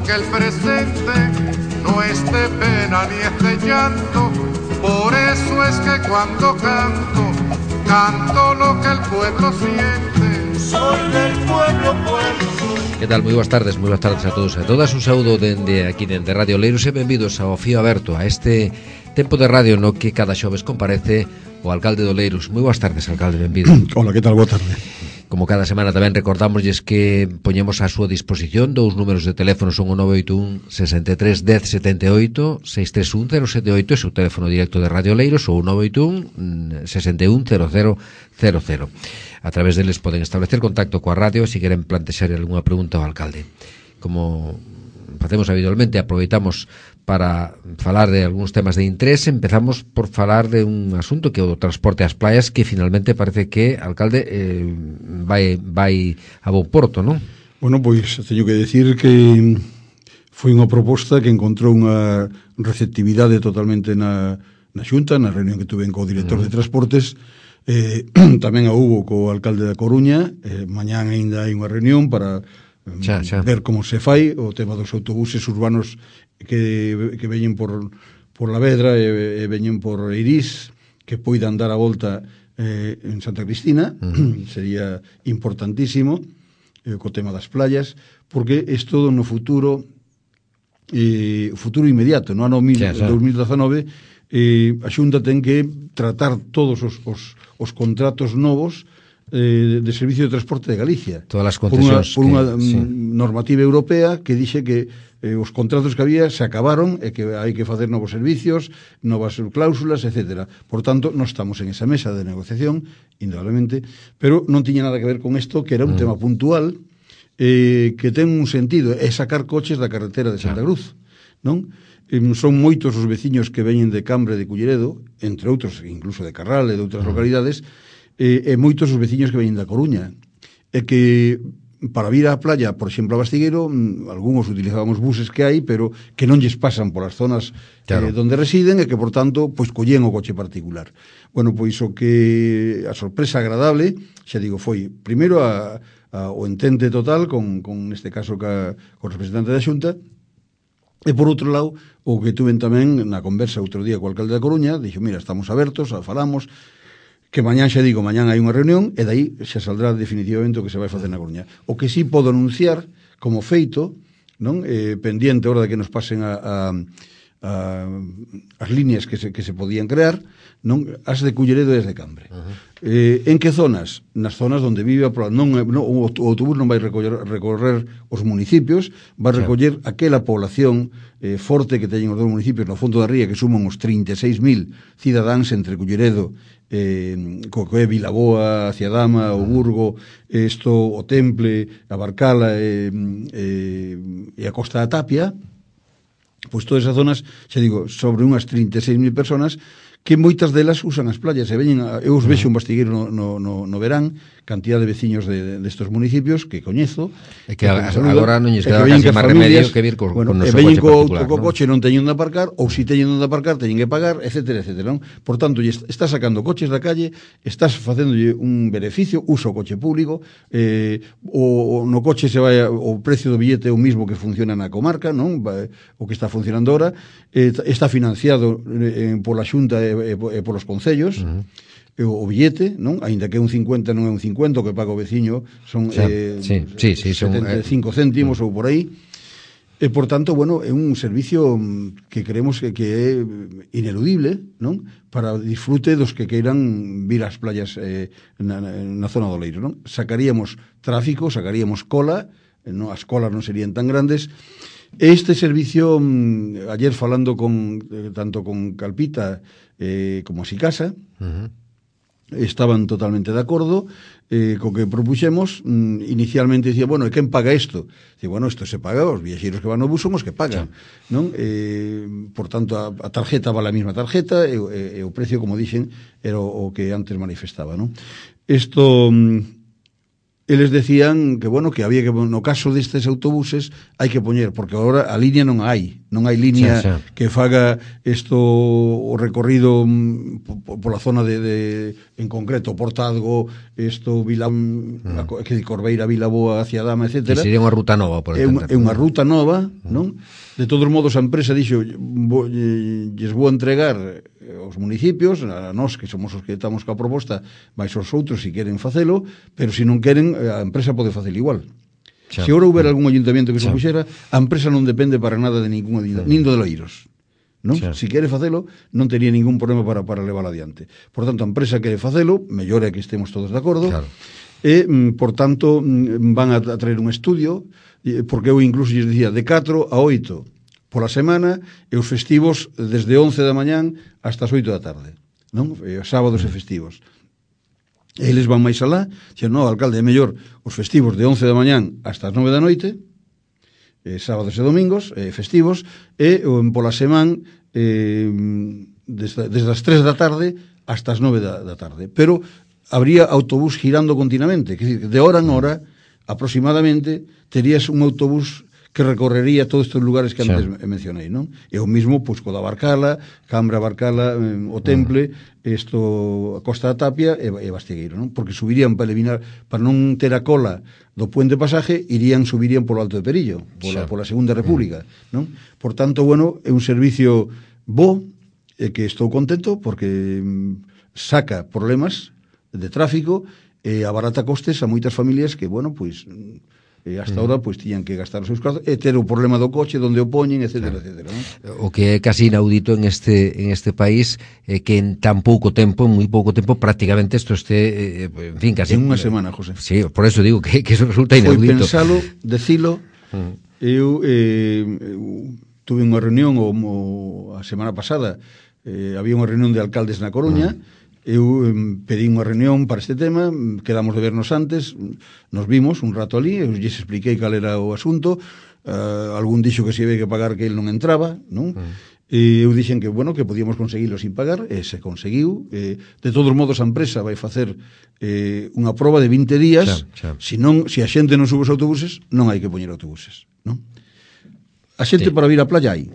porque el presente no es de pena ni es de llanto. Por eso es que cuando canto, canto lo que el pueblo siente. Soy del pueblo, Que tal? Moi boas tardes a todos e a todas. Un saúdo dende aquí dende Radio Oleiros e benvidos ao Fío Aberto, a este tempo de radio no que cada xoves comparece o alcalde de Oleiros. Moi boas tardes, alcalde, benvido. Hola, que tal? Boa tarde. Como cada semana tamén recordamosles que poñemos a súa disposición dous números de teléfono, son o 981 63 10 78, 631 078, ese é o teléfono directo de Radio Oleiros, ou o 981 61 0000. A través deles poden establecer contacto coa radio se queren plantexar algunha pregunta ao alcalde. Como facemos habitualmente, aproveitamos para falar de algúns temas de interés. Empezamos por falar de un asunto que é o transporte ás playas, que finalmente parece que, alcalde, vai a bo porto, non? Bueno, pois teño que decir que foi unha proposta que encontrou unha receptividade totalmente na Xunta, na reunión que tuve co director de transportes. Tamén a hubo co alcalde da Coruña. Mañán ainda hai unha reunión para ver como se fai o tema dos autobuses urbanos que veñen por La Vedra e veñen por Eirís, que poidan dar a volta en Santa Cristina. Sería importantísimo co tema das playas, porque isto no futuro inmediato, no ano 2019, a Xunta ten que tratar todos os contratos novos de servicio de transporte de Galicia. Todas as concesións por unha normativa europea que dixe que os contratos que había se acabaron e que hai que facer novos servicios, novas cláusulas, etc. Por tanto, non estamos en esa mesa de negociación, indudablemente, pero non tiña nada que ver con isto, que era un tema puntual que ten un sentido, é sacar coches da carretera de Santa Cruz, non? Son moitos os veciños que veñen de Cambre, de Culleredo, entre outros, incluso de Carral e de outras localidades, e moitos os veciños que veñen da Coruña, e que para vir á playa, por exemplo, a Bastigueiro, algúns utilizábamos buses que hai, pero que non lles pasan polas zonas donde residen, e que, por tanto, pois collían o coche particular. Bueno, pois o que a sorpresa agradable, xa digo, foi primeiro o entente total con neste caso co representante da Xunta, e por outro lado, o que tuven tamén na conversa outro día co alcalde da Coruña, dixo, mira, estamos abertos, falamos, que mañán xa digo, mañán hai unha reunión e dai xa saldrá definitivamente o que se vai facer na Coruña. O que sí podo anunciar como feito, non, pendiente ahora de que nos pasen as líneas que se podían crear, non, as de Culleredo e as de Cambre. En que zonas? Nas zonas onde vive o autobús non vai recorrer os municipios, vai recoller aquela población forte que teñen os dos municipios no fondo da ría, que suman os 36.000 cidadáns entre Culleredo, co que é Vilaboa, Ciadama, o Burgo, o Temple, a Barcala e a Costa da Tapia. Pois todas esas zonas, xa digo, sobre unhas 36.000 personas, que moitas delas usan as playas e veñen, eu os vexo un Bastigueiro no verán, cantidad de veciños destos municipios que coñezo, e que agora non lles queda casi máis remedio que vir con o noso coche particular, co coche non teñen onde aparcar, ou se teñen onde aparcar teñen que pagar, etcétera, non? Por tanto, estás sacando coches da calle, estás facéndolle un beneficio, uso o coche público, no coche se vai o precio do billete é o mismo que funciona na comarca, non? O que está funcionando ahora, está financiado pola Xunta e polos concellos, o billete, non? Aínda que un 50 non é un 50, o que paga o veciño son 75 céntimos ou por aí. E, por tanto, bueno, é un servicio que creemos que é ineludible, non? Para disfrute dos que queiran vir ás playas na zona do Oleiros, non? Sacaríamos tráfico, sacaríamos cola, as colas non serían tan grandes. Este servicio, ayer falando tanto con Calpita como a Sicasa, estaban totalmente de acordo co que propuxemos. Inicialmente dicía, bueno, e quen paga isto? Dicía, bueno, isto se paga, os viaxeiros que van no bus son os que pagan, non? Por tanto, a tarjeta vale a mesma tarjeta e o precio, como dixen, era o que antes manifestaba, non? Isto, eles decían que, bueno, que había que, no caso destes autobuses, hai que poñer, porque agora a línea non hai Non hai línea xa. que faga isto o recorrido pola zona en concreto Portadgo, isto que de Corbeira, Vilaboa hacia Dama, etc. Que sería unha ruta nova, por entender. É unha ruta nova, non? De todos modos, a empresa dixo lles vou entregar aos municipios, a nós que somos os que estamos coa proposta, máis os outros se queren facelo, pero se non queren, a empresa pode facelo igual. Se agora houbera algún ayuntamiento que se puxera, a empresa non depende para nada de ningún ayuntamiento, nin do de Loiros. Non? Se quere facelo, non tería ningún problema para levar adiante. Por tanto, a empresa quere facelo, mellor é que estemos todos de acordo, e, por tanto, van a traer un estudio, porque eu incluso lles dicía de 4 a 8 pola semana, e os festivos desde 11 da mañán hasta as 8 da tarde, non? Sábados e festivos. Eles van máis alá, dixen, no, alcalde, é mellor os festivos de 11 da mañán hasta as 9 da noite, sábados e domingos, festivos, e pola semana desde as 3 da tarde hasta as 9 da tarde. Pero habría autobús girando continuamente, que decir, de hora en hora, aproximadamente, terías un autobús que recorrería todos estes lugares que antes mencionei, non? E o mismo, pois, co da Barcala, Cambra, Barcala, o Temple, a Costa da Tapia e Bastigueiro, non? Porque subirían para eliminar, para non ter a cola do puente pasaje, subirían polo Alto de Perillo, pola Segunda República, non? Por tanto, bueno, é un servicio bo, que estou contento, porque saca problemas de tráfico e abarata costes a moitas familias que, bueno, pois hasta ahora pois tiñan que gastar os seus cartos e ter o problema do coche donde o poñen, etcétera, etcétera, non? O que é casi inaudito en este país é que en tan pouco tempo, en moi pouco tempo, prácticamente isto este, en fin, casi en unha semana, José. Sí, por eso digo que eso resulta inaudito. Foi pensalo, decilo. Eu tuve unha reunión a semana pasada, había unha reunión de alcaldes na Coruña. Eu pedí unha reunión para este tema, quedamos de vernos antes, nos vimos un rato ali, eu lles expliquei cal era o asunto, algún dixo que se había que pagar que el non entraba, non? E eu dixen que, bueno, que podíamos conseguilo sin pagar, e se conseguiu. De todos modos, a empresa vai facer unha proba de 20 días, se a xente non sube os autobuses, non hai que poñer autobuses, non? A xente para vir á playa hai,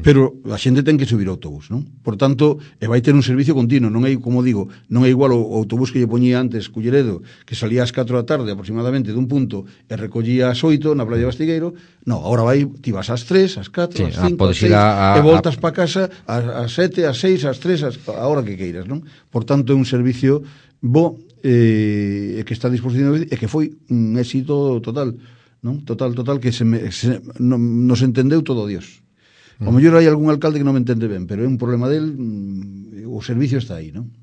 pero a xente ten que subir o autobús, non? Por tanto, vai ter un servicio continuo, non é, como digo, non é igual o autobús que lle poñía antes Culleredo, que salía ás 4 da tarde aproximadamente dun punto e recollía ás 8 na playa de Bastigueiro. No, agora ti vas ás 3, ás 4, ás 5, ás 6, e voltas para casa ás 7, ás 6, ás 3, a hora que queiras, non? Por tanto, é un servicio bo que está a disposición e que foi un éxito total, non? Total, que nos entendeu todo Dios. O mellor hai algún alcalde que non me entende ben, pero é un problema del, o servicio está aí, non?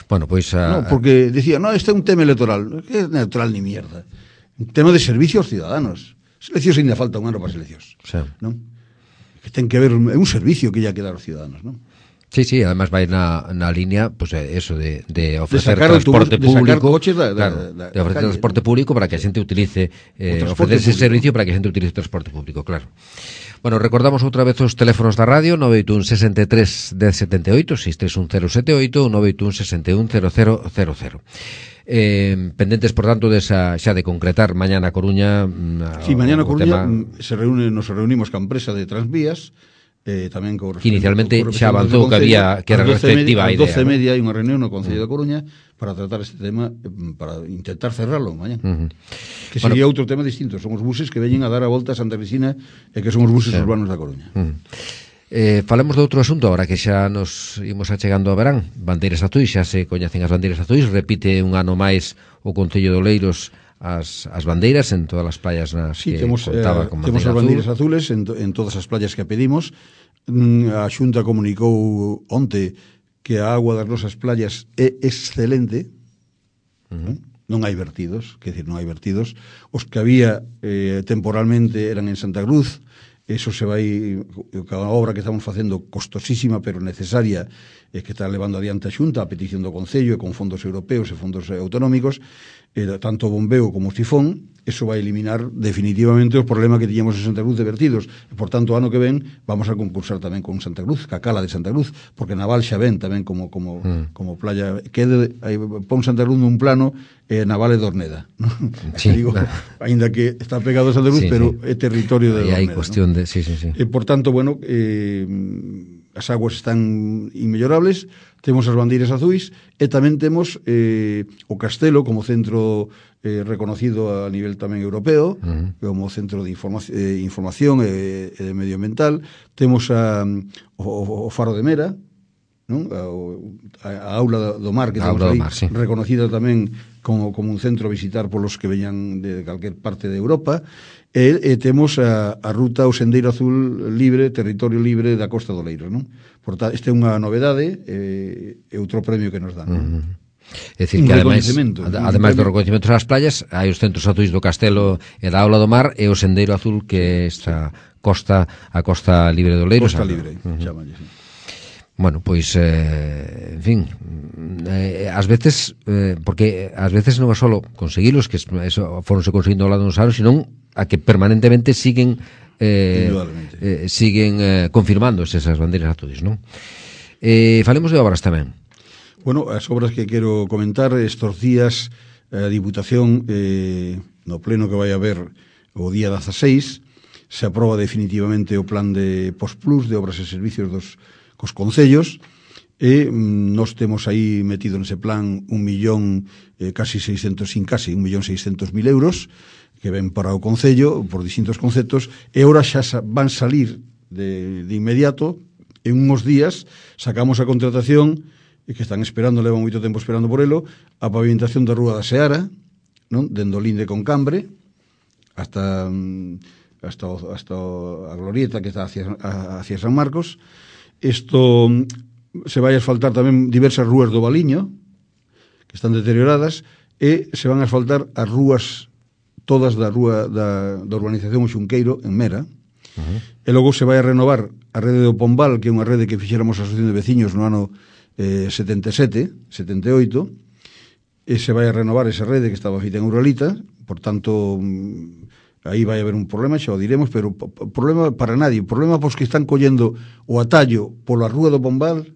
Bueno, pois porque decía, este é un tema electoral. Que é electoral ni mierda. Un tema de servicio aos ciudadanos. Seleccións ainda falta un ano para seleccións, non? Que ten que ver, é un servicio que lle ha que dar aos ciudadanos, non? Sí, además vai na línea, pues eso de ofrecer transporte público, de ofrecer transporte público para que a xente utilice ofrecer ese servicio para que a xente utilice transporte público, claro. Bueno, recordamos outra vez os teléfonos da radio, 981 63 1078, 631 078, 981 61 0000. Pendentes, por tanto, xa de concretar mañá na Coruña. Sí, mañá na Coruña nos reunimos ca empresa de Transvías, tamén que inicialmente xa avanzou que era receptiva a idea. A 12:30 hai unha reunión no Concello da Coruña para tratar este tema, para intentar cerrarlo mañá. Que sería outro tema distinto, son os buses que veñen a dar a volta a Santa Cristina e que son os buses urbanos da Coruña. Falemos de outro asunto agora que xa nos imos achegando a verán. Bandeiras azuis, xa se coñecen as bandeiras azuis, repite un ano máis o Concello de Oleiros as bandeiras en todas as playas nas que contaba con temos as bandeiras azules en todas as playas que pedimos. A Xunta comunicou onte que a agua das nosas playas é excelente, non hai vertidos, os que había temporalmente eran en Santa Cruz. Eso se vai, cada obra que estamos facendo costosísima pero necesaria, que está levando adiante a Xunta a petición do Concello e con fondos europeos e fondos autonómicos, tanto o bombeo como o sifón. Eso vai eliminar definitivamente os problemas que tiñamos en Santa Cruz de vertidos, e por tanto o ano que ven vamos a concursar tamén con Santa Cruz, ca cala de Santa Cruz, porque Naval xa ven tamén como playa, pon Santa Cruz nun plano Naval e Dorneda, ¿no? Sí, digo, ainda que está pegado a Santa Cruz, pero é territorio de Dorneda. Hai cuestión grande, sí. Por tanto, bueno, as aguas están inmellorables, temos as bandeiras azuis e tamén temos o Castelo como centro reconocido a nivel tamén europeo, como centro de información e de medioambiental. Temos o Faro de Mera, non? A Aula do Mar, que temos aí, sí, reconocida tamén como un centro a visitar polos que veñan de calquer parte de Europa. E temos a ruta ao Sendeiro Azul libre, territorio libre da Costa do Leiro, non? Portanto, esta é unha novedade e outro premio que nos dan. É dicir, que ademais do reconhecimento das playas, hai os centros azuis do Castelo e da Aula do Mar e o Sendeiro Azul, que é esta a Costa Libre do Leiro. Costa Libre, chamalle, sí. Bueno, pois, en fin, ás veces, porque ás veces non é só conseguilos, que eso foronse conseguindo ao lado dos anos, senón a que permanentemente siguen confirmando esas bandeiras azuis, non? Falemos de obras tamén. Bueno, as obras que quero comentar estos días, a Diputación, no pleno que vai haber o día 16, se aproba definitivamente o plan de Postplus de obras e servicios cos concellos, e nós temos aí metido nese plan 1.600.000 euros que ven para o concello por distintos conceptos, e ahora xa van salir de inmediato. En uns días sacamos a contratación, que están esperando, levan moito tempo esperando por elo, a pavimentación da Rúa da Seara, non? Dende o Linde con Cambre hasta a glorieta que está hacia San Marcos. Isto se vai a asfaltar tamén diversas rúas do Valiño que están deterioradas, e se van a asfaltar as rúas todas da rúa da urbanización O Xunqueiro en Mera. E logo se vai a renovar a rede do Pombal, que é unha rede que fixéramos a Asociación de Veciños no ano 77, 78, e se vai a renovar esa rede que estaba feita en Uralita. Por tanto, aí vai haber un problema, xa o diremos, pero problema para nadie, problema pos que están collendo o atallo pola rúa do Pombal,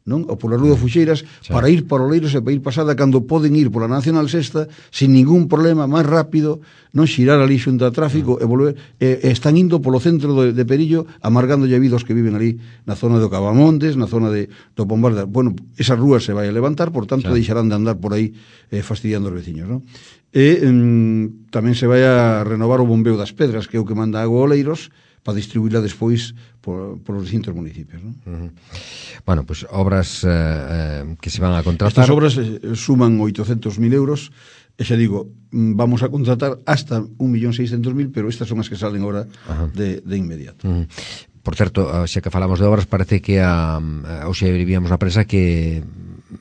non? Ou pola rúa de Fuxeiras, para ir para Oleiros e para ir pasada, cando poden ir pola Nacional Sexta sin ningún problema, máis rápido, non xirar ali xunto a tráfico e volver, están indo polo centro de Perillo, amargando a vida os que viven ali na zona do Cavamontes, na zona do Pombal. Bueno, esa rúa se vai a levantar, por tanto deixarán de andar por aí fastidiando os veciños, non? E tamén se vai a renovar o bombeo das Pedras, que é o que manda agua a Oleiros, para distribuirla despois por os distintos municipios, non? Bueno, pues obras que se van a contratar. Estas obras suman 800.000 euros, e xa digo, vamos a contratar hasta 1.600.000, pero estas son as que salen ahora de inmediato. Por certo, xa que falamos de obras, parece que hoxe vivíamos na prensa que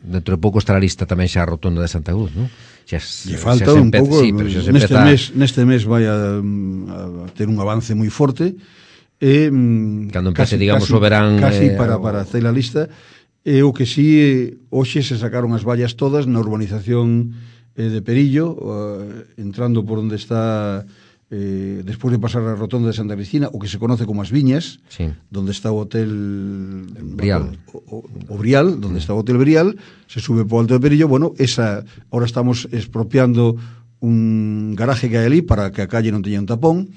dentro de pouco estará lista tamén xa a rotonda de Santa Cruz, non? Lle falta un pouco, sí, neste mes vai a ter un avance moi forte, e cando empece, digamos, o verán casi para hacer a lista. E o que si, hoxe se sacaron as vallas todas na urbanización de Perillo, entrando por onde está despois de pasar a rotonda de Santa Cristina, o que se conoce como as Viñas, sí, donde está o hotel Brial, o Brial, donde está o hotel Brial, se sube por alto de Perillo. Bueno, ahora estamos expropiando un garaje que hai ali para que a calle non teña un tapón,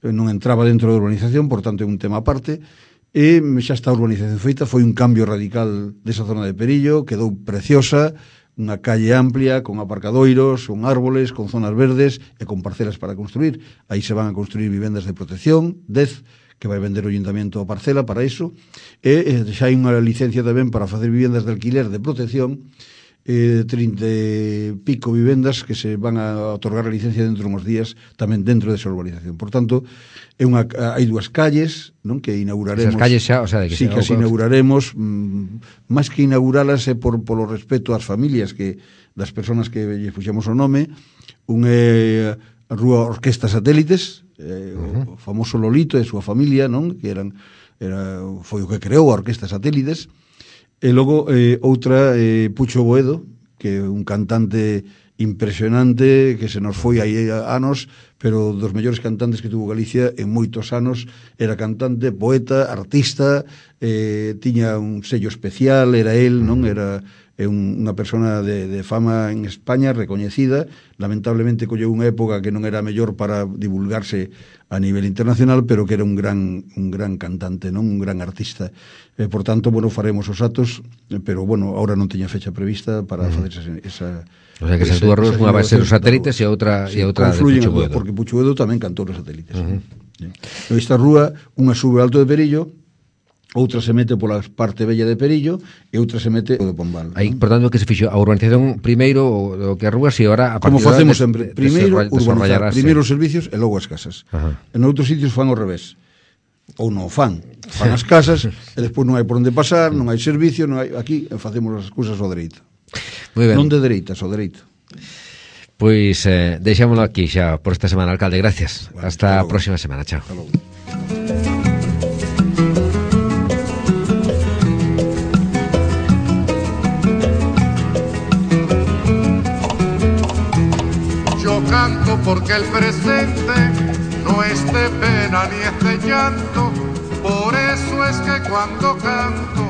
non entraba dentro da urbanización, por tanto é un tema aparte, e xa está a urbanización feita. Foi un cambio radical desa zona de Perillo, quedou preciosa, unha calle amplia, con aparcadoiros, con árboles, con zonas verdes e con parcelas para construir. Aí se van a construir vivendas de protección, 10, que vai vender o Ayuntamiento a parcela para iso, e xa hai unha licencia tamén para facer vivendas de alquiler de protección, 30 e pico vivendas que se van a otorgar a licencia dentro de uns días tamén dentro desa urbanización. Por tanto, hai dúas calles, non, que inauguraremos. Esas calles xa, o sea, de que sí, que as inauguraremos, máis que inauguralas é polo respeto ás familias das persoas que lle puxemos o nome. Un é a Rúa Orquesta Satélites, o famoso Lolito e a súa familia, non, que foi o que creou a Orquesta Satélites. E logo outra, Pucho Boedo, que é un cantante impresionante que se nos foi aí anos, pero dos mellores cantantes que tuvo Galicia en moitos anos. Era cantante, poeta, artista, tiña un sello especial, era el, non? Era é unha persona de fama en España recoñecida, lamentablemente colleu unha época que non era mellor para divulgarse a nivel internacional, pero que era un gran cantante, non, un gran artista. Por tanto, bueno, faremos os actos, pero bueno, ahora non teña fecha prevista para facer esa o sea que as dúas rúas, unha vai ser os satélites e outra de Puigdedouro, porque Puigdedouro tamén cantou os satélites. Esta rúa, unha sube alto de Perillo, outra se mete pola parte bella de Perillo e outra se mete de Pombal. Aí, por tanto, que se fixo a urbanización primeiro o que as rúas e agora a como facemos sempre, primeiro urbanizar, primeiro os servicios e logo as casas. En outros sitios fan ao revés. Ou non fan as casas e despois non hai por onde pasar, non hai servicio, non hai, aquí facemos as cousas ao dereito. Non de dereitas, ao dereito. Pois deixámoslo aquí xa por esta semana, alcalde, gracias. Vale, hasta a próxima semana, chao. Yo canto porque el presente no es de pena ni es de llanto, por eso es que cuando canto